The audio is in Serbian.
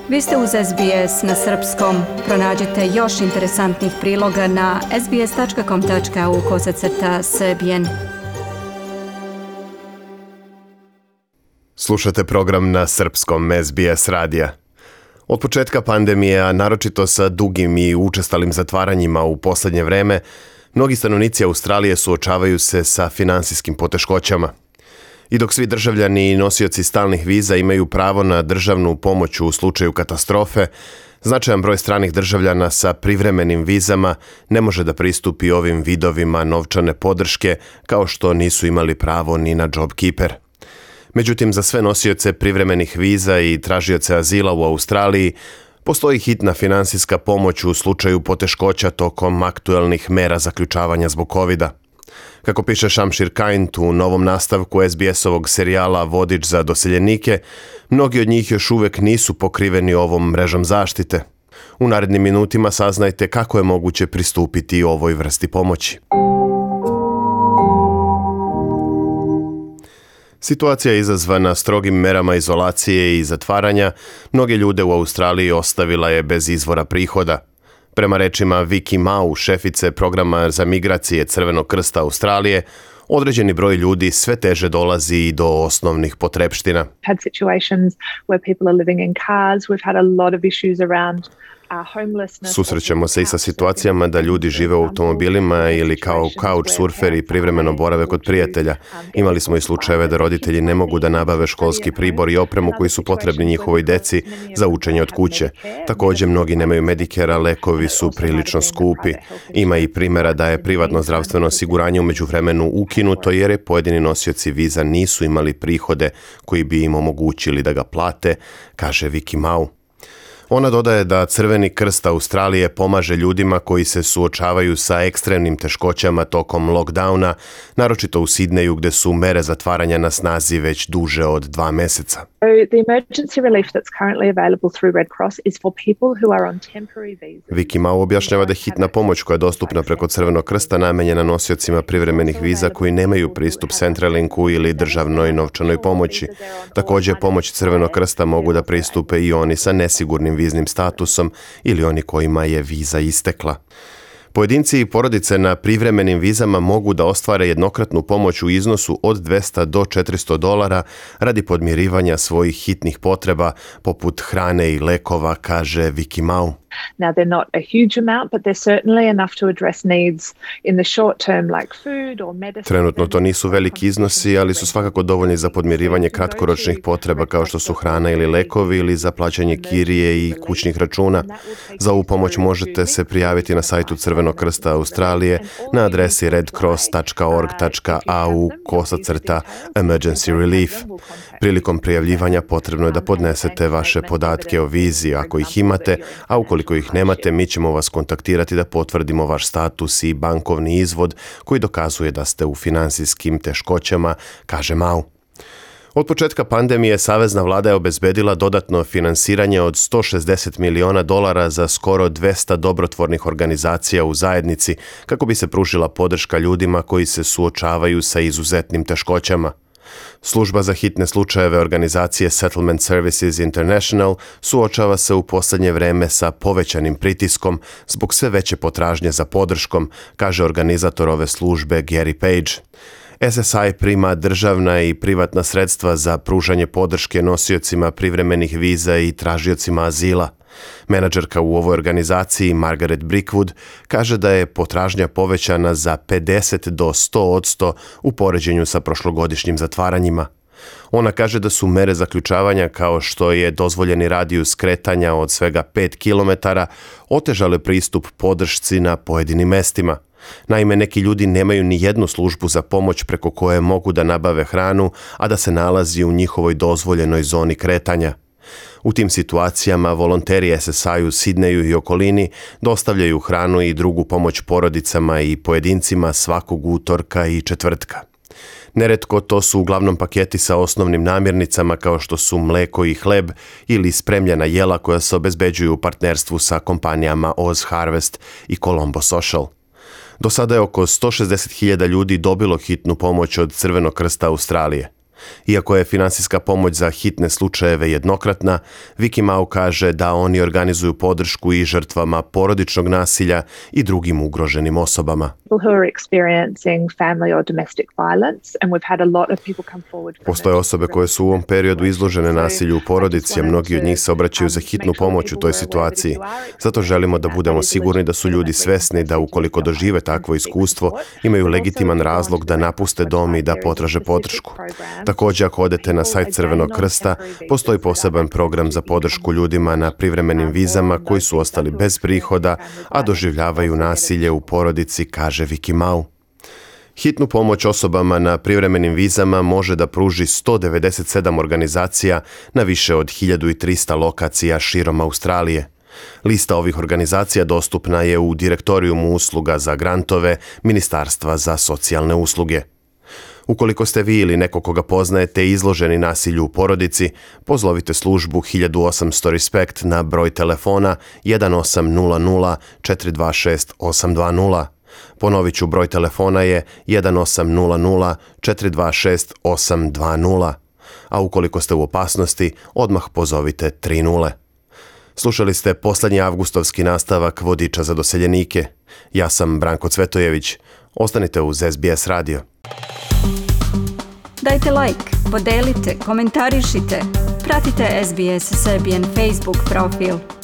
Vi ste uz SBS na srpskom. Pronađite još interesantnih priloga na sbs.com.au/srbijen. Slušate program na srpskom SBS radija. Od početka pandemije, a naročito sa dugim i učestalim zatvaranjima u posljednje vreme, mnogi stanovnici Australije suočavaju se sa finansijskim poteškoćama. I dok svi državljani i nosioci stalnih viza imaju pravo na državnu pomoć u slučaju katastrofe, značajan broj stranih državljana sa privremenim vizama ne može da pristupi ovim vidovima novčane podrške kao što nisu imali pravo ni na JobKeeper. Međutim, za sve nosioce privremenih viza i tražioce azila u Australiji postoji hitna finansijska pomoć u slučaju poteškoća tokom aktuelnih mera zaključavanja zbog COVID-a. Kako piše Shamshir Kind u novom nastavku SBS-ovog serijala Vodič za doseljenike, mnogi od njih još uvijek nisu pokriveni ovom mrežom zaštite. U narednim minutima saznajte kako je moguće pristupiti ovoj vrsti pomoći. Situacija izazvana strogim merama izolacije i zatvaranja mnoge ljude u Australiji ostavila je bez izvora prihoda. Prema rečima Vicky Mau, šefice programa za migracije Crvenog krsta Australije, određeni broj ljudi sve teže dolazi i do osnovnih potrepština. Susrećemo se i sa situacijama da ljudi žive u automobilima ili kao couchsurferi privremeno borave kod prijatelja. Imali smo i slučajeve da roditelji ne mogu da nabave školski pribor i opremu koji su potrebni njihovoj deci za učenje od kuće. Također, mnogi nemaju Medicare-a, lekovi su prilično skupi. Ima i primjera da je privatno zdravstveno osiguranje u međuvremenu ukinuto jer je pojedini nosioci viza nisu imali prihode koji bi im omogućili da ga plate, kaže Vicky Mau. Ona dodaje da Crveni krst Australije pomaže ljudima koji se suočavaju sa ekstremnim teškoćama tokom lockdowna, naročito u Sidneju gdje su mere zatvaranja na snazi već duže od 2 mjeseca. Vicky Mau objašnjava da je hitna pomoć koja je dostupna preko Crvenog krsta namijenjena nosiocima privremenih viza koji nemaju pristup Centrelinku ili državnoj novčanoj pomoći. Također, pomoć Crvenog krsta mogu da pristupe i oni sa nesigurnim viznim statusom ili oni kojima je viza istekla. Pojedinci i porodice na privremenim vizama mogu da ostvare jednokratnu pomoć u iznosu od $200 do $400 radi podmirivanja svojih hitnih potreba poput hrane i lekova, kaže Vicky Mau. Now they're not a huge amount, but they're certainly enough to address needs in the short term like food or medicine. Trenutno to nisu veliki iznosi, ali su svakako dovoljni za podmirivanje kratkoročnih potreba kao što su hrana ili lekovi ili za plaćanje kirije i kućnih računa. Za ovu pomoć možete se prijaviti na sajtu Crvenog krsta Australije na adresi redcross.org.au/emergency relief. Prilikom prijavljivanja potrebno je da podnesete vaše podatke o vizi ako ih imate, a ukoliko ih nemate, mi ćemo vas kontaktirati da potvrdimo vaš status i bankovni izvod koji dokazuje da ste u finansijskim teškoćama, kaže Mau. Od početka pandemije savezna vlada je obezbedila dodatno finansiranje od $160 miliona za skoro 200 dobrotvornih organizacija u zajednici kako bi se pružila podrška ljudima koji se suočavaju sa izuzetnim teškoćama. Služba za hitne slučajeve organizacije Settlement Services International suočava se u posljednje vreme sa povećanim pritiskom zbog sve veće potražnje za podrškom, kaže organizator ove službe Gary Page. SSI prima državna i privatna sredstva za pružanje podrške nosiocima privremenih viza i tražiocima azila. Menadžerka u ovoj organizaciji Margaret Brickwood kaže da je potražnja povećana za 50 do 100% u poređenju sa prošlogodišnjim zatvaranjima. Ona kaže da su mere zaključavanja kao što je dozvoljeni radijus kretanja od svega 5 km otežale pristup podršci na pojedinim mestima. Naime, neki ljudi nemaju ni jednu službu za pomoć preko koje mogu da nabave hranu, a da se nalazi u njihovoj dozvoljenoj zoni kretanja. U tim situacijama volonteri SSI u Sidneju i okolini dostavljaju hranu i drugu pomoć porodicama i pojedincima svakog utorka i četvrtka. Neretko to su uglavnom paketi sa osnovnim namirnicama kao što su mleko i hleb ili spremljena jela koja se obezbeđuju u partnerstvu sa kompanijama Oz Harvest i Colombo Social. Do sada je oko 160.000 ljudi dobilo hitnu pomoć od Crvenog krsta Australije. Iako je finansijska pomoć za hitne slučajeve jednokratna, Vicky Mau kaže da oni organizuju podršku i žrtvama porodičnog nasilja i drugim ugroženim osobama. Postoje osobe koje su u ovom periodu izložene nasilju u porodici, a mnogi od njih se obraćaju za hitnu pomoć u toj situaciji. Zato želimo da budemo sigurni da su ljudi svesni da ukoliko dožive takvo iskustvo, imaju legitiman razlog da napuste dom i da potraže podršku. Također, ako odete na sajt Crvenog krsta, postoji poseban program za podršku ljudima na privremenim vizama koji su ostali bez prihoda, a doživljavaju nasilje u porodici, kaže Vicky Mau. Hitnu pomoć osobama na privremenim vizama može da pruži 197 organizacija na više od 1300 lokacija širom Australije. Lista ovih organizacija dostupna je u direktorijumu usluga za grantove Ministarstva za socijalne usluge. Ukoliko ste vi ili neko koga poznajete izloženi nasilju u porodici, pozovite službu 1800 RESPECT na broj telefona 1800 426 820. Ponovit ću, broj telefona je 1800 426 820. A ukoliko ste u opasnosti, odmah pozovite 30. Slušali ste posljednji avgustovski nastavak Vodiča za doseljenike. Ja sam Branko Cvetojević. Ostanite uz SBS radio. Dajte like, podelite, komentarišite. Pratite SBS Serbian Facebook profil.